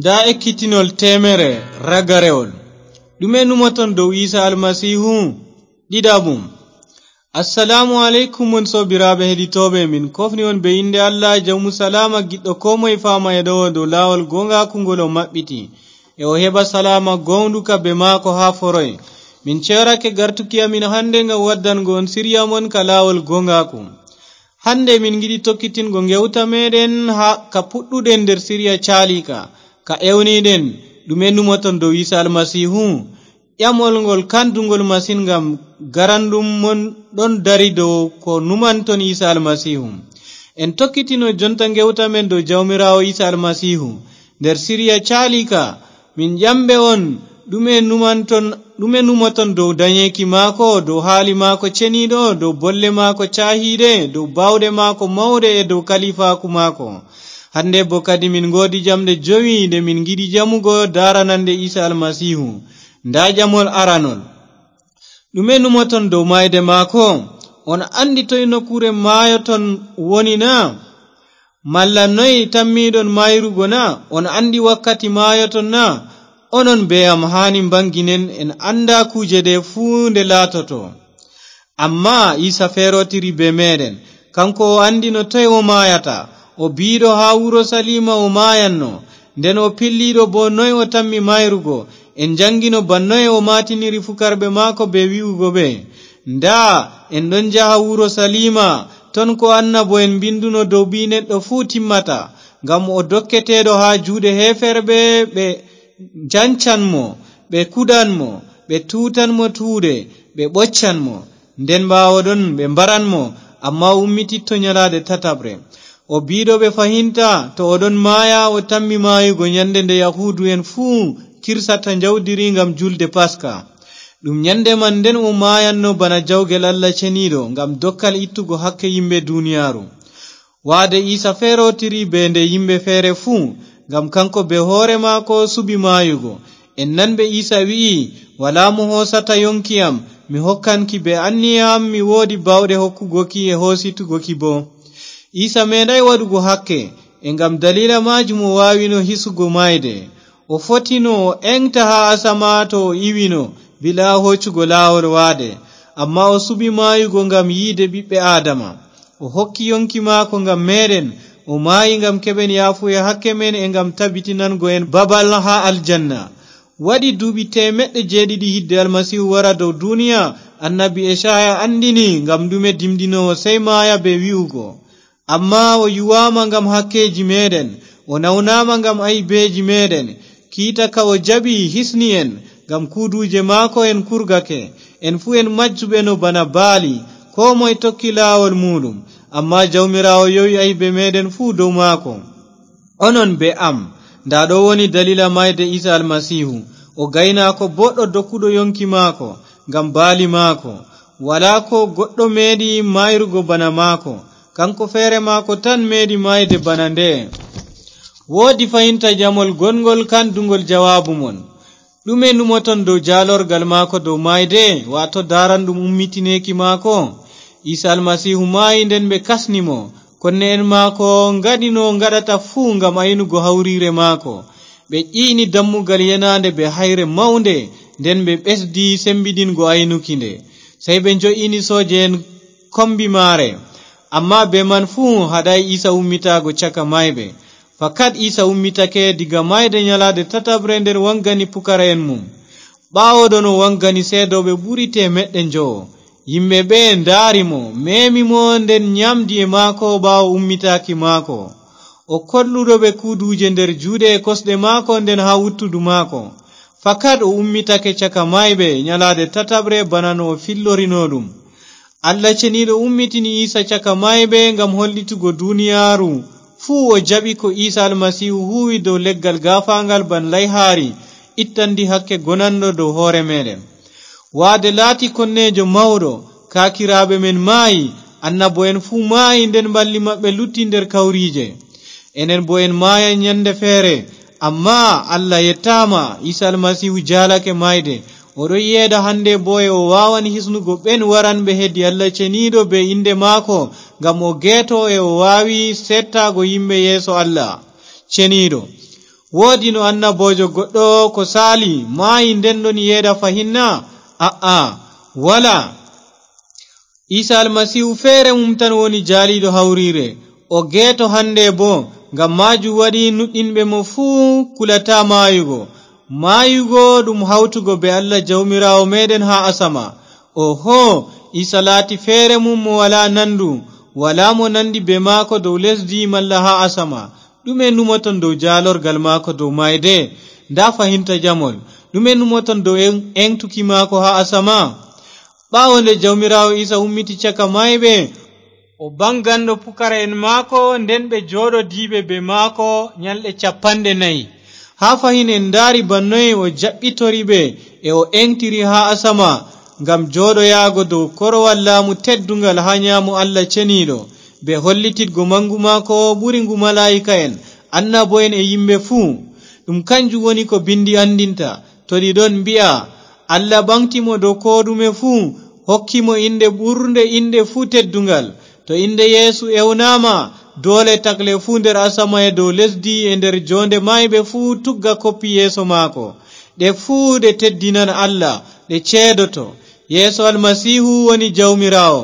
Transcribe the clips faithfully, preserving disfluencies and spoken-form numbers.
Ndaa ekkitinol teemere ragarewol. Ɗume numoton dow Iisa Almasiihu? Ɗiɗaɓum. Assalaamu aleykum, mon soobiraaɓe heɗitooɓe. Min kofni on bee innde Allah, jawmu salaama, giɗɗo koo moye faama e ɗo'o dow laawol gooŋgaaku ngol o maɓɓiti. E o heɓa salaama gooŋɗuka bee maako haa foroy. Min ceerake gartuki amin hannde ngam waddango on siriya mon ka laawol gooŋgaaku. Hannde min ngiɗi tokkitingo ngewta meeɗen haa ka puɗɗuɗen nder siriya caaliika, ka ewniɗen, ɗume numoton dow Iisa Almasiihu? Ƴamol ngol kanduŋgol masin, ngam garanɗum mon ɗon dari dow ko numanton Iisa Almasiihu. En tokkitino jonta ngewta men dow Jawmiraawo Iisa Almasiihu. Nder siriya caaliika, min ƴamɓe on, ɗume numanton, ɗume numoton dow danyeeki maako, dow haali maako ceniiɗo, dow bolle maako caahiiɗe, dow baawɗe maako mawɗe e dow kaliifaaku maako? Hannde boo kadi min ngoodi jamɗe jowi ɗe min ngiɗi ƴamugo daaranannde Iisa Almasiihu. Ndaa ƴamol aranol. Ɗume numoton dow maayde maako? On anndi toy nokkuure maayoton woni na? Malla noy tammiiɗon maayrugo na? On anndi wakkati maayoton na? Onon bee am haani mbaŋginen, en annda kuuje ɗe fuu nde laatoto. Ammaa Iisa feerotiri bee meeɗen. Kaŋko o anndino toy o maayata. O biiɗo haa Urusaliima o maayanno. Nden o pilliiɗo boo noy o tammi maayrugo. En njaŋgino bana noy o maatiniri fukarɓe maako bee wi'ugo ɓe, ndaa, en ɗon njaha Urusaliima, ton ko annabo'en mbinduno dow Ɓii-neɗɗo fuu timmata. Ngam o dokketeeɗo haa juuɗe heeferɓe, ɓe njancan mo, ɓe kuɗan mo, ɓe tuutan mo tuuɗe, ɓe ɓoccan mo. Nden ɓaawo ɗon ɓe mbaran mo, ammaa o ummititto nyalaade tataɓre. O biiɗo ɓe fahinta, to o ɗon maaya, o tammi maayugo nyande nde Yahuudu'en fuu kirsata njawdiri ngam julde Paska. Ɗum nyande man nden o maayanno bana jawgel Allah Ceniiɗo ngam dokkal ittugo hakke yimɓe duniyaaru. Waade Iisa feerotiri bee nde yimɓe feere fuu, ngam kaŋko bee hoore maako suɓi maayugo. En nanɓe Iisa wi'i, "Walaa mo hoosata yonki am, mi hokkan ki bee anniya am, mi woodi baawɗe hokkugo ki e hoositugo ki boo." Iisa meeɗaay waɗugo hakke, e ngam daliila maajum o waawino hisugo maayde. O fotino o eŋgta haa asama to o iwino, bilaa hoocugo laawol waade. Ammaa o suɓi maayugo ngam yiide ɓiɓɓe Aadama. O hokki yonki maako ngam meeɗen. O maayi ngam keɓen yaafuye hakke men e ngam tabitinango en babal haa aljanna. Waɗi duuɓi teemeɗɗe jeeɗiɗi hidde Almasiihu wara dow duniya, annabi Ecaaya anndini ngam ɗume dimɗinoowo sey maaya bee wi'ugo, "Ammaa o yuwaama ngam hakkeeji meeɗen, o nawnaama ngam aybeeji meeɗen. Kiita ka o jaɓi hisni en, ngam kuuduuje maako en kurgake. En fuu en majjuɓe no bana baali, koo moy tokki laawol muuɗum." Ammaa Jawmiraawo yowi aybe meeɗen fuu dow maako. Onon bee am, ndaa ɗo woni daliila maayde Iisa Almasiihu. O gaynaako booɗɗo dokkuɗo yonki maako ngam baali maako. Walaa koo goɗɗo meeɗi maayrugo bana maako. Kaŋko feere maako tan meeɗi maayde bana nde. Woodi fahinta jamol gonŋgol kanduŋgol jawaabu mon. Ɗume numoton dow jaalorgal maako dow maayde, waato daaranɗum ummitineeki maako? Iisa Almasiihu maayi, nden ɓe kasni mo. Konne'en maako ngaɗi no ngaɗata fuu ngam aynugo hawriire maako. Ɓe ƴi'ni dammugal yenaande bee hayre mawnde, nden ɓe ɓesdi semmbiɗingo aynuki nde. Sey ɓe njo'ini sooje'en kombi maare. Ammaa bee man fuu haɗaay Iisa ummitaago caka maayɓe. Fakat Iisa ummitake diga maayde nyalaade tataɓre nden waŋgani pukara'en mum. Ɓaawo ɗon o waŋgani seedooɓe ɓuri teemeɗɗe njowo. Yimɓe ɓe ndaari mo, meemi mo, nden nyaamdi e maako ɓaawo ummitaaki maako. O kolluɗo ɓe kuuduuje nder juuɗe e kosɗe maako nden haa wuttudu maako. Fakat o ummitake caka maayɓe nyalaade tataɓre bana no o fillorino ɗum. Allah Ceniiɗo ummitini Iisa caka maayɓe ngam hollitugo duniyaaru fuu o jaɓi ko Iisa Almasiihu huuwi dow leggal gaafaaŋgal ban layhaari, ittandi hakke gonanɗo dow hoore meeɗen. Waade laati konneejo mawɗo, kaakiraaɓe men maayi, annabo'en fuu maayi, nden ɓalli maɓɓe lutti nder kawriije. Enen boo en maayan nyande feere, ammaa Allah yettaama, Iisa Almasiihu jaalake maayde. O ɗon yeeɗa hande boo e o waawan hisnugo ɓen waranɓe hedi Allah Ceniiɗo bee innde maako, ngam o geeto e o waawi seettaago yimɓe yeeso Allah Ceniiɗo. Woodino annaboojo goɗɗo ko saali, maayi nden ɗon yeeda fahin na? A'a, walaa. Iisa Almasiihu feere mum tan woni jaaliiɗo hawriire. O geeto hande boo, ngam maajum waɗi nuɗɗinɓe mo fuu kulataa maayugo. Maayugo ɗum hawtugo bee Allah Jawmiraawo meeɗen haa asama. Oho, Iisa laati feere mum mo walaa nandu, walaa mo nandi bee maako dow lesdi malla haa asama. Ɗume numoton dow jaalorgal maako dow maayde? Ndaa fahinta jamol. Ɗume numoton dow en-, eŋtuki maako haa asama? Ɓaawo nde Jawmiraawo Iisa ummiti caka maayɓe, o baŋganɗo pukara'en maako, nden ɓe jooɗodiiɓe bee maako nyalɗe cappanɗe nayi. Haa fahin en ndaari bana noy o jaɓɓitori ɓe e o eŋtiri haa asama ngam jooɗoyaago dow korowal laamu tedduŋgal haa nyaamo Allah Ceniiɗo, bee hollititgo maŋgu maako ɓuri ngu malaa'ika'en, annabo'en e yimɓe fuu. Ɗum kanjum woni ko Binndi anndinta. To ɗi ɗon mbi'a, Allah ɓaŋgti mo dow koo ɗume fuu, hokki mo innde ɓurnde innde fuu tedduŋgal. To innde Yeesu ewnaama, doole tagle fuu nder asama e dow lesdi e nder joonde maayɓe fuu tugga koppi yeeso maako. Ɗe fuu ɗe teddinan Allah, ɗe ceedoto. Yeesu Almasiihu woni Jawmiraawo.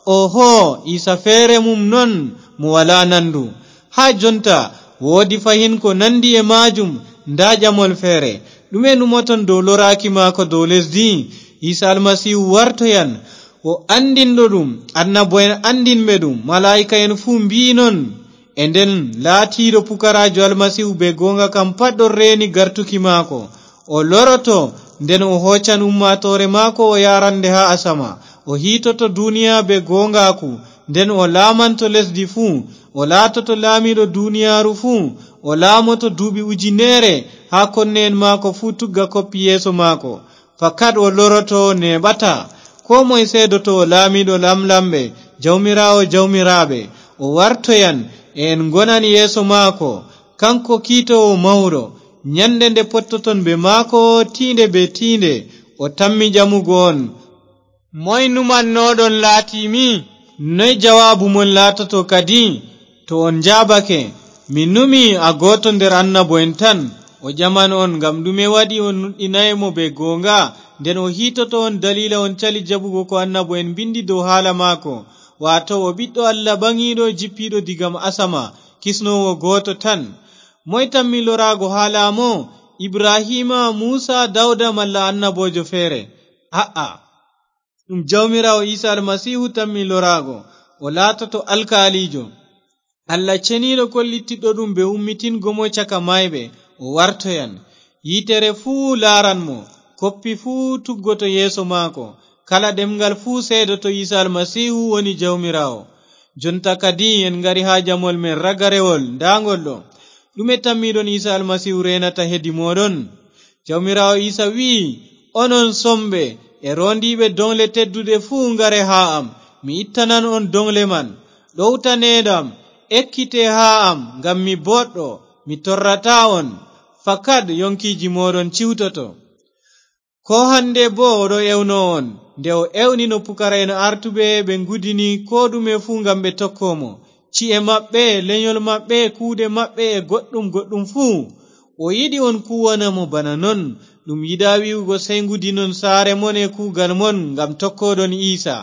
Oho, Iisa feere mum non mo walaa nandu. Haa jonta, woodi fahin ko nandi e maajum, ndaa jamol feere. Ɗume numoton dow loraaki maako dow lesdi? Iisa Almasiihu wartoyan, o anndinɗo ɗum, annabo'en anndinɓe ɗum, malaa'ika'en fuu mbi'i non. E nden laatiiɗo pukaraajo Almasiihu bee gooŋga kam pat ɗon reeni gartuki maako. O loroto, nden o hoocan ummaatoore maako o yaarande haa asama. O hiitoto duniya bee gooŋgaaku, nden o laamanto lesdi fuu. O laatoto laamiiɗo duniyaaru fuu. O laamoto duuɓi ujineere haa konne'en maako fuu tugga koppi yeeso maako. Fakat o loroto, neeɓataa. Koo moy seedoto o laamiiɗo laamlamɓe, Jawmiraawo jawmiraaɓe. O wartoyan, e en ngonan yeeso maako. Kaŋko kiitoowo mawɗo, nyande nde pottoton bee maako tiinde bee tiinde, o tammi ƴamugo on. Moy numannoɗon laatiimi? Noy jawaabu mon laatoto kadi? To on njaabake, mi numi a gooto nder annabo'en tan, o ƴaman on ngam ɗume waɗi on nuɗɗinaay mo bee gooŋga, nden o hiitoto on daliila on cali jaɓugo ko annabo'en mbindi dow haala maako, waato o ɓiɗɗo Allah ɓaŋiiɗo jippiiɗo diga asama, kisnoowo gooto tan. Moy tammi loraago haa laamo? Ibrahiima, Muusa, Dawda malla annaboojo feere? A'a. Ɗum Jawmiraawo Iisa Almasiihu tammi loraago, o laatoto alkaaliijo. Allah Ceniiɗo kollittiɗɗo ɗum bee ummitingo mo caka maayɓe, o wartoyan. Yiitere fuu laaran mo, koppi fuu tuggoto yeeso maako. Kala ɗemŋgal fuu seedoto Iisa Almasiihu woni Jawmiraawo. Jonta kadi en ngari haa jamol men ragarewol, ndaa ngol ɗo. Ɗume tammiiɗon Iisa Almasiihu reenata hedi mooɗon? Jawmiraawo Iisa wi'i, "Onon somɓe, e roondiiɓe doŋle tedduɗe fuu, ngare haa am, mi ittanan on doŋle man. Ɗowtaneeɗam, ekkite haa am, ngam mi booɗɗo, mi torrataa on. Fakat yonkiiji mooɗon ciwtoto." Koo hande boo o ɗo ewno on, nde o ewnino pukara'en artuɓe, ɓe ngudini koo ɗume fuu ngam ɓe tokko mo. Ci'e maɓɓe, lenyol maɓɓe, kuuɗe maɓɓe e goɗɗum goɗɗum fuu. O yiɗi on kuuwana mo bana non. Ɗum yiɗaa wi'ugo sey ngudinon saare mon e kuugal mon ngam tokkoɗon Iisa.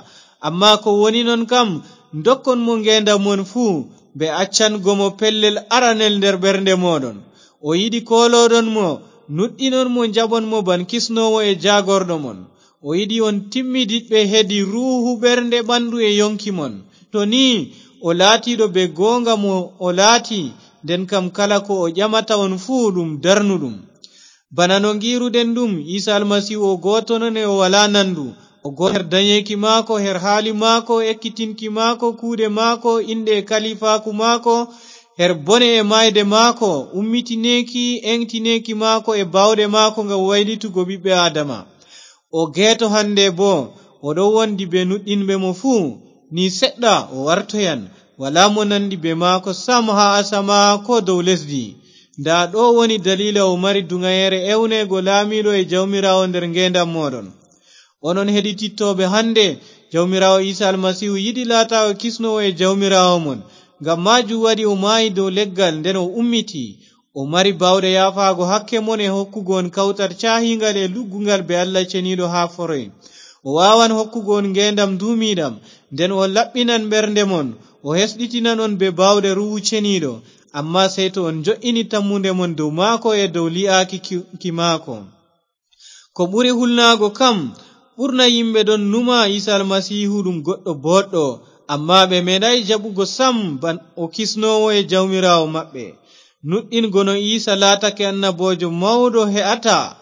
Ammaa ko woni non kam, ndokkon mo ngeendam mon fuu, be accango mo pellel aranel nder ɓernde mooɗon. O yiɗi koolooɗon mo, nuɗɗinon mo, njaɓon mo ban kisnoowo e jaagorɗo mon. O yiɗi on timmidiɗɓe hedi ruuhu, ɓernde, ɓandu e yonki mon. To nii o laatiiɗo be gooŋga mo o laati, nden kam kala ko o ƴamata on fuu ɗum darnuɗum. Bana no ngiiruɗen ɗum, Iisa Almasiihu o gooto non e o walaa nandu. O gooto her danyeeki maako, her haali maako, ekkitinki maako, kuuɗe maako, inɗe e kaliifaaku maako, her bone e maayde maako, ummitineeki, eŋtineeki maako e baawɗe maako ngam waylitugo ɓiɓɓe Aadama. O geeto hande boo, o ɗon wondi be nuɗɗinɓe mo fuu. Ni seɗɗa o wartoyan, walaa mo nandi be maako sam haa asama koo dow lesdi. Ndaa ɗo woni daliila o mari duŋayeere ewneego laamiiɗo e Jawmiraawo nder ngeendam mooɗon. Onon heɗitittooɓe hande, Jawmiraawo Iisa Almasiihu yiɗi laataago kisnoowo e Jawmiraawo mon. Ngam maajum waɗi o maayi dow leggal, nden o ummiti. O mari baawɗe yaafaago hakke mon e hokkugo on kawtal caahiingal e luggungal be Allah Ceniiɗo haa foroy. O waawan hokkugo on ngeendam nduumiiɗam, nden o laɓɓinan ɓernde mon, o hesɗitinan on be baawɗe Ruuhu Ceniiɗo, ammaa sey to on jo'ini tammunde mon dow maako e dow li'aaki ki, ki maako. Ko ɓuri hulnaago kam, ɓurna yimɓe ɗon numa Iisa Almasiihu ɗum goɗɗo booɗɗo, ammaa ɓe meeɗaay jaɓugo sam ban o kisnoowo e Jawmiraawo maɓɓe. Nuɗɗingo no Iisa laatake annaboojo mawɗo he'ataa,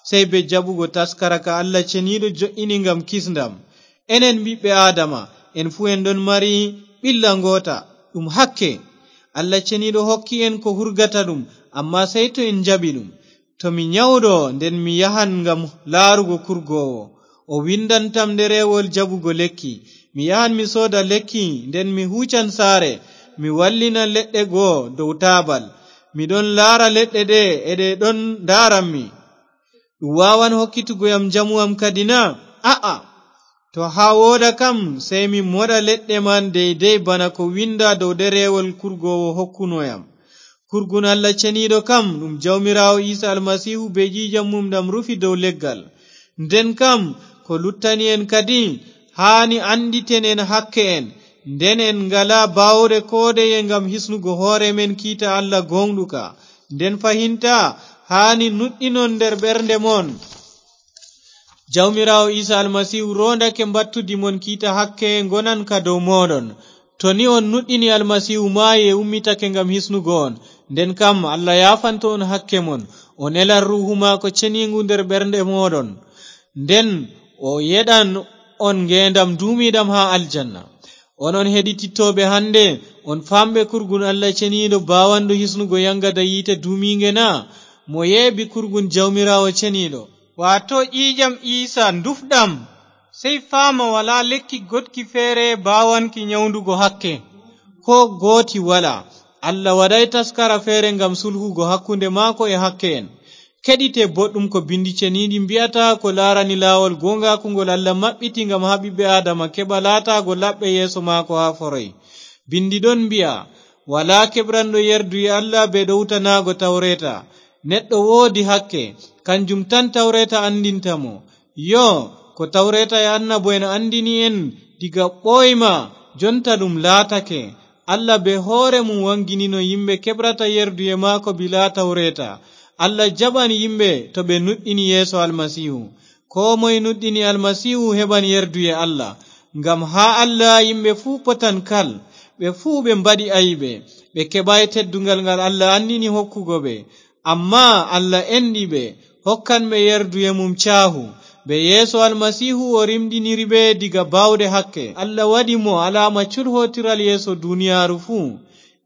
sey bee jaɓugo taskara ka Allah Ceniiɗo jo'ini ngam kisndam. Enen ɓiɓɓe Aadama, en fuu en ɗon mari ɓilla ngoota, ɗum hakke. Allah Ceniiɗo hokki en ko hurgata ɗum, ammaa sey to en njaɓi ɗum. To mi nyawɗo, nden mi yahan ngam laarugo kurgoowo. O windantam ɗereewol jaɓugo lekki. Mi yahan mi sooda lekki, nden mi huucan saare, mi wallina leɗɗe go dow taabal. Mi ɗon laara leɗɗe ɗe, e ɗe ɗon ndaarammi. Ɗum waawan hokkitugo yam njamu am kadi na? A'a. To haa wooda kam, sey mi moɗa leɗɗe man deydey bana ko winda dow ɗereewol kurgoowo hokkuno yam. Kurgun Allah Ceniiɗo kam, ɗum Jawmiraawo Iisa Almasiihu bee ƴiiƴam mum ɗam rufi dow leggal. Nden kam, ko luttani en kadi, haani annditen en hakke en, nden en ngalaa baawɗe koodeye ngam hisnugo hoore men kiita Allah gooŋɗuka. Nden fahinta, haani nuɗɗinon nder ɓernde mon. Jawmiraawo Iisa Almasiihu roondake mbattudi mon kiita hakke ngonan ka dow mooɗon. To ni on nuɗɗini Almasiihu maayi e ummitake ngam hisnugo on, nden kam Allah yaafanto on hakke mon, o nelan Ruuhu maako Ceniingu nder ɓernde mooɗon. Nden o yeɗan on ngeendam nduumiiɗam haa aljanna. Onon heɗitittooɓe hannde, on faamɓe kurgun Allah Ceniiɗo baawanɗo hisnugo yaŋgada yiite duumiiŋge na? Mo yeeɓi kurgun Jawmiraawo Ceniiɗo, waato ƴiiƴam Iisa ndufɗam, sey faama walaa lekki goɗki feere baawanki nyawdugo hakke. Koo gooti walaa. Allah waɗaay taskara feere ngam sulhugo hakkunde maako e hakke en. Keɗite boɗɗum ko Binndi Ceniiɗi mbi'ata ko laarani laawol gooŋgaaku ngol Allah maɓɓiti ngam haa ɓiɓɓe Aadama keɓa laataago laɓɓe yeeso maako haa foroy. Binndi ɗon mbi'a, "Walaa keɓranɗo yerduye Allah bee ɗowtanaago Tawreeta. Neɗɗo woodi hakke, kanjum tan Tawreeta anndinta mo." Yoo, ko Tawreeta e Annabo'en anndini en diga ɓooyma, jonta ɗum laatake. Allah bee hoore mum waŋginino yimɓe keɓrata yerduye maako bilaa Tawreeta. Allah jaɓan yimɓe to ɓe nuɗɗini yeeso Almasiihu. Koo moy nuɗɗini Almasiihu heɓan yerduye Allah. Ngam haa Allah yimɓe fuu potan kal, ɓe fuu ɓe mbaɗi aybe, ɓe keɓaay tedduŋgal ngal Allah anndini hokkugo ɓe. Ammaa Allah enɗi ɓe, hokkan ɓe yerduye mum caahu. Bee yeeso Almasiihu o rimɗiniri ɓe diga baawɗe hakke. Allah waɗi mo alaama culhootiral yeeso duniyaaru fuu.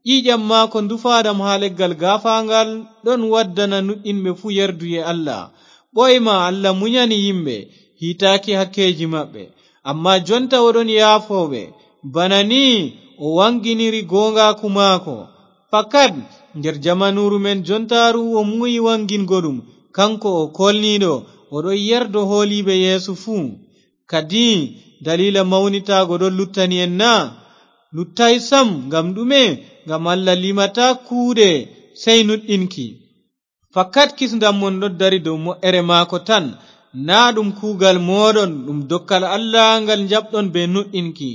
Ƴiiƴam maako ndufaaɗam haa leggal gaafaaŋgal ɗon waddana nuɗɗinɓe fuu yerduye Allah. Ɓooyma Allah munyani yimɓe, hiitaaki hakkeeji maɓɓe. Ammaa jonta o ɗon yaafo ɓe. Bana nii o waŋginiri gooŋgaaku maako. Fakat, nder jamanuuru men jontaaru o muuyi waŋgingo ɗum, kaŋko o koolniiɗo, o ɗon yerdo hooliiɓe Yeesu fuu. Kadi, daliila mawnitaago ɗon luttani en na? Luttaay sam. Ngam ɗume? Ngam Allah limataa kuuɗe, sey nuɗɗinki. Fakat kisndam mon ɗon dari dow mo'ere maako tan, naa ɗum kuugal mooɗon, ɗum dokkal Allah ngal njaɓɗon bee nuɗɗinki.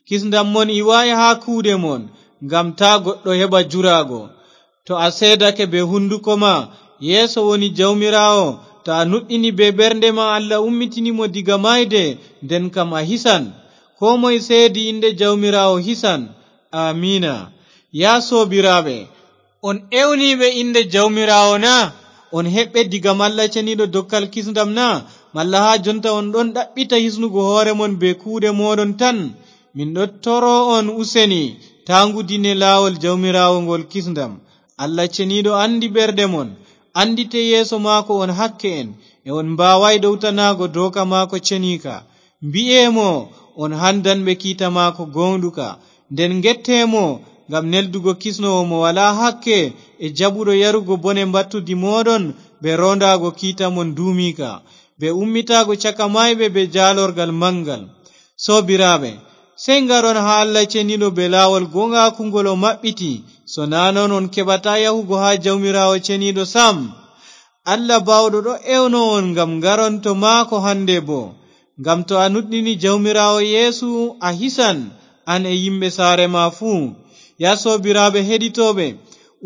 Kisndam mon iwaay haa kuuɗe mon, ngam taa goɗɗo heɓa juraago. To a seedake bee hunduko ma, Yeesu woni Jawmiraawo, to a nuɗɗini bee ɓernde ma Allah ummitini mo diga maayde, nden kam a hisan. Koo moy seedi innde Jawmiraawo hisan. Aamiina. Yaa soobiraaɓe, on ewniiɓe innde Jawmiraawo na? On heɓɓe diga malla ceniiɗo dokkal kisndam na? Malla haa jonta on ɗon ɗaɓɓita hisnugo hoore mon bee kuuɗe mooɗon tan? Min ɗon toro on useni, taa ngudine laawol Jawmiraawo ngol kisndam. Allah ceniiɗo anndi ɓerɗe mon, anndite yeeso maako on hakke'en, e on mbaawaay ɗowtanaago dooka maako ceniika. Mbi'e mo on handanɓe kiita maako gooŋɗuka, nden ngette mo ngam neldugo kisnoowo mo walaa hakke e jaɓuɗo yarugo bone mbattudi mooɗon bee roondaago kiita mon duumiika, bee ummitaago caka maayɓe bee jaalorgal maŋgal. Soobiraaɓe, sey ngaron haa Allah ceniiɗo bee laawol gooŋgaaku ngol o maɓɓiti, So naa non on keɓataa yahugo haa Jawmiraawo Ceniiɗo sam. Allah Baawɗo ɗo ewno on ngam ngaron to maako hannde boo. Ngam to a nuɗɗini Jawmiraawo Yeesu, a hisan, an e yimɓe saare ma fuu. Yaa soobiraaɓe heɗitooɓe,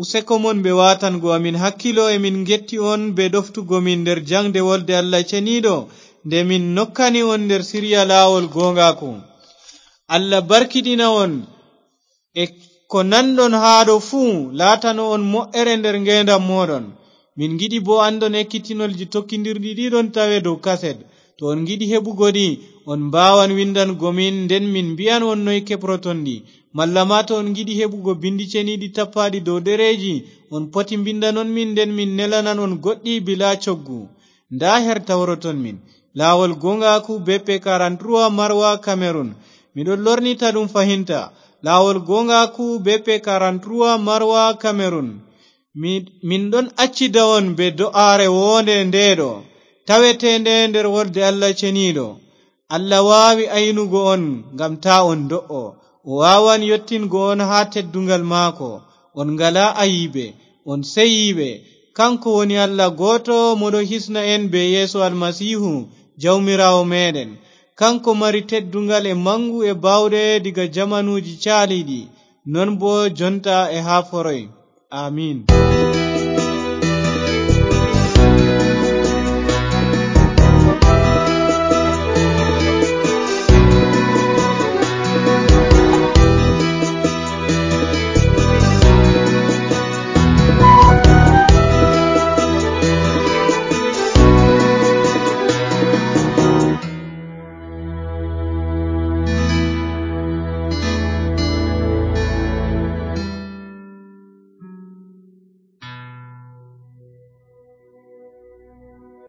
useko mon bee waatango amin hakkilo e min ngetti on bee ɗoftugo min nder jaŋde wolde Allah Ceniiɗo, nde min nokkani on nder sirya laawol gooŋgaaku. Allah barkiɗina on e ko nanɗon haa ɗo fuu laatano on mo'ere nder ngeendam mooɗon. Min ngiɗi boo anndon ekkitinolji tokkindirɗi ɗi ɗon tawe dow kaset. To on ngiɗi heɓugo ɗi, on mbaawan winndango min, nden min mbi'an on noy keɓroton ɗi. Malla maa to on ngiɗi heɓugo binndi ceniiɗi tappaaɗi dow ɗereeji, on poti mbinndanon min, nden min nelanan on goɗɗi bilaa coggu. Ndaa her tawroton min. Laawol gooŋgaaku B P quarante-trois Marwa Cameroun. Miɗo lornita ɗum fahinta. Laawol gooŋgaaku B P quarante-trois Marwa Cameroun. Mi-, min ɗon accida on bee do'aare woonde ndeeɗo, taweteende nder wolde Allah Ceniiɗo. Allah waawi aynugo on ngam taa on do'o. O waawan yottingo on haa tedduŋgal maako. On ngalaa ayiibe, on seyiiɓe. Kaŋko woni Allah gooto mo ɗo hisna en bee Yeesu Almasiihu, Jawmiraawo meeɗen. Kaŋko mari tedduŋgal e maŋgu e baawɗe diga jamanuuji caaliiɗi, non boo jonta e haa foroy. Amiin.